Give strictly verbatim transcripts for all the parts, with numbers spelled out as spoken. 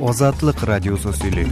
Азатлык радиосы сөйли.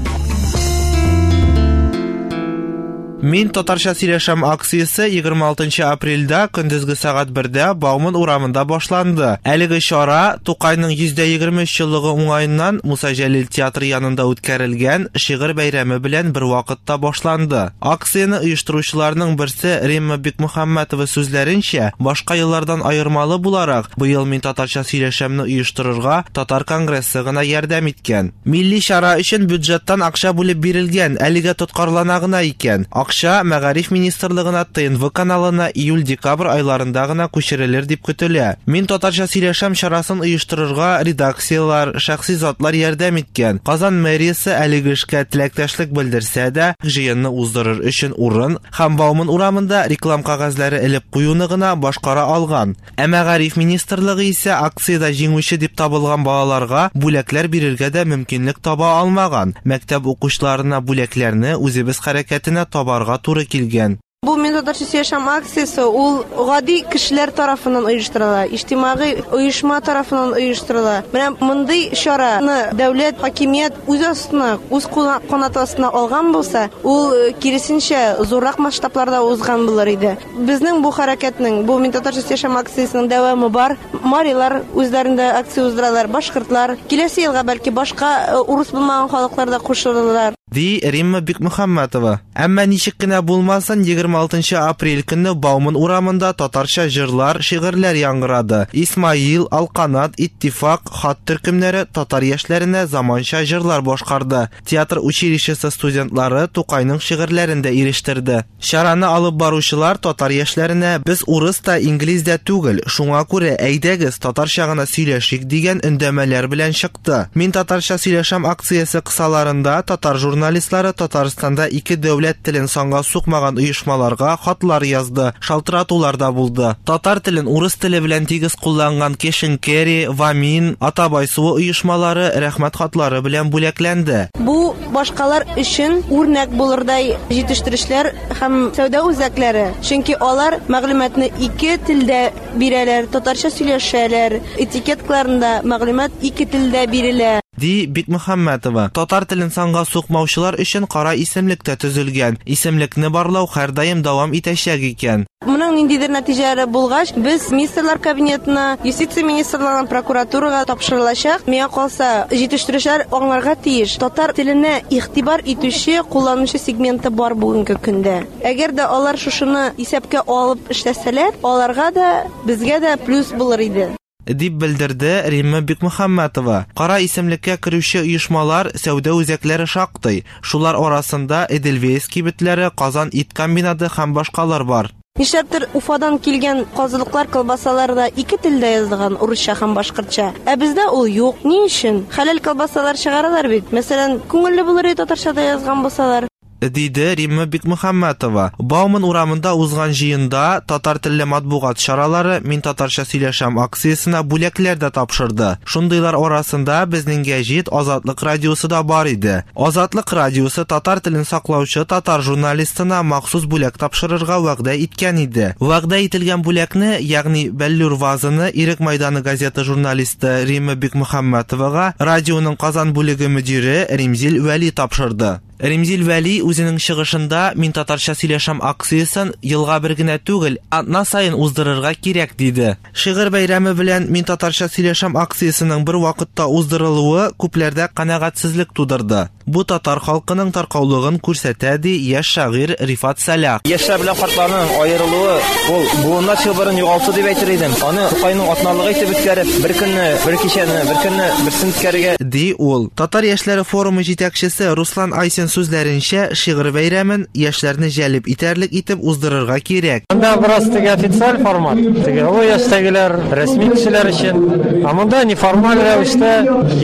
Мин татарча сөйләшәм акциясе егерме алтынчы апрельдә көндезге сәгать бердә Бауман урамында башланды. Әлеге чара Тукайның йөз дә егерме өч еллыгы уңаеннан Муса Җәлил театры янында үткәрелгән шигырь бәйрәме белән бер вакытта башланды. Акцияне оештыручыларның берсе Римма Бикмөхәммәтова сүзләренчә, башка еллардан аермалы буларак, быел Мин татарча сөйләшәмне оештырырга Татар конгрессы гына ярдәм иткән. Милли чара өчен бюджеттан акча бүлеп бирелгән, әлегә тоткарлана гына икән. Акча Мәгариф министрлыгына Т Н В каналына июль-декабрь айларында гына күчерелер дип көтелә. Мин татарча сөйләшәм чарасын оештырырга редакцияләр, шәхси затлар ярдәм иткән. Казан мэриясе әлеге эшкә теләктәшлек белдерсә дә, җыенны уздырыр өчен урын һәм Бауман урамында реклам кәгазьләре элеп куюны гына башкара алган. Ә Мәгариф министрлыгы исә акциядә җиңүче дип табылган балаларга бүләкләр бирергә дә мөмкинлек таба алмаган. Мәктәп укучыларына бүләкләрне үзебез хәрәкәтенә табарга туры килгән. Бу Мин татарча сөйләшәм акциясе ул гади кешеләр тарафыннан оештырыла, иҗтимагый оешма тарафыннан оештырыла. Менә мондый чараны дәүләт, хакимият үз астына, үз куна-, канаты астына алган булса, ул, э, киресенчә зуррак масштабларда узган булыр иде. Безнең бу хәрәкәтнең, бу Мин татарча сөйләшәм акциясенең дәвамы бар. Марилар үзләрендә акция уздыралар, башкортлар. Киләсе елга бәлки башка, э, урыс булмаган халыклар да кушылырлар. Ди Римма Бикмөхәммәтова. Әмма ничек кенә булмасын, егерме алтынчы апрель көнне Бауман урамында татарча җырлар, шигырьләр яңгырады. Исмаил, Алканат, Иттифак, Хат төркемнәре татар яшьләренә заманча җырлар башкарды. Театр училищесы студентлары Тукайның шигырьләрен дә ирештерде. Чараны алып баручылар татар яшьләренә без урыс та, инглиз дә түгел, шуңа күрә әйдәгез татарча гына сөйләшик дигән өндәмәләр белән чыкты. Мин татарча сөйләшәм акциясе кысаларында татар журналистлары Татарстанда ике дәүләт телен санга сукмаган оешмаларга хатлар язды, шалтыратулар да булды. Татар телен урыс теле белән тигез кулланган Кешенкери, Вамин, Атабай суы оешмалары рәхмәт хатлары белән бүләкләнде. Бу башкалар өчен үрнәк булырдай җитештерүчеләр һәм сәүдә үзәкләре. Чөнки алар мәгълүматны ике телдә бирәләр, татарча сөйләшәләр, этикеткаларында мәгълүмат ике телдә бирелә. Ди Бикмөхәммәтова. Татар телен санга сукмаучылар өчен кара исемлек тә төзелгән. Исемлекне барлау һәрдаим дәвам итәчәк икән. Моның ниндидер нәтиҗәләре булгач, без министрлар кабинетына, юстиция министрлыгына, прокуратурага тапшырылачак. Миңа калса, җитештерүчеләр аңларга тиеш. Татар теленә игътибар итүче, кулланучы сегменты бар бүгенге көндә. Әгәр дә алар шушыны исәпкә алып эшләсәләр, аларга да, безгә дә плюс булыр иде. Дип белдерде Римма Бикмөхәммәтова. Кара исемлеккә керүче оешмалар, сәүдә үзәкләре шактый. Шулар арасында Эдельвейс кибетләре, Казан ит комбинаты һәм башкалар бар. Нишләптер Уфадан килгән казылыклар, колбасалар да ике телдә язылган, урысча һәм башкортча. Ә бездә ул юк. Ни өчен? Хәләл колбасалар чыгаралар бит. Мәсәлән, күңелле булыр иде татарча да язган булсалар. Диде Римма Бикмөхәммәтова. Бауман урамында узган җыенда татар телле матбугат чаралары Мин татарча сөйләшәм акциясенә бүләкләр дә тапшырды. Шундыйлар арасында безнең гәҗит Азатлык радиосы да бар иде. Азатлык радиосы татар телен саклаучы татар журналистына махсус бүләк тапшырырга вәгъдә иткән иде. Вәгъдә ителгән бүләкне, ягъни Бәллүр вазаны Ирек Майданы газета журналисты Римма Бикмөхәммәтовага радионың Казан бүлеге мөдире Римзил Вәли тапшырды. Римзил Вәли үзенең чыгышында Мин татарча сөйләшәм акциясен елга бер генә түгел, атна саен уздырырга кирәк диде. Шигырь бәйрәме белән Мин татарча сөйләшәм акциясенең бер вакытта уздырылуы күпләрдә канәгатьсезлек тудырды. Бу татар халкының таркаулыгын күрсәтә, ди яшь шагыйрь Рифат Сәлах. Яшьләр белән картларның аерылуы ул буыннар чылбырын югалту дип әйтер идем. Аны Тукайның атналыгы итеп үткәреп, бер көнне, бер кичәне, бер көнне берсен үткәрергә, ди ул. Татар яшьләре форумы җитәкчесе Руслан Айсин сүзләренчә, шигырь бәйрәмен яшьләрне җәлеп итәрлек итеп уздырырга кирәк. Монда бераз теге официаль формат, теге олы яшьтәгеләр, рәсми кешеләр өчен. Ә монда неформаль рәвештә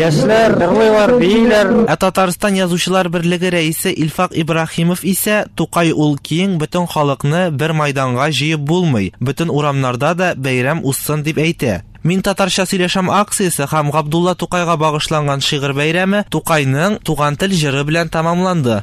яшьләр җырлыйлар, бииләр. Ә Татарстан Язучылар берлеге рәисе Илфак Ибраһимов исә Тукай ул киң, бөтен халыкны бер майданга җыеп булмый, бөтен урамнарда да бәйрәм узсын дип әйтә. Мин татарча сөйләшәм акциясе һәм Габдулла Тукайга багышланган шигырь бәйрәме Тукайның Туган тел җыры белән тәмамланды.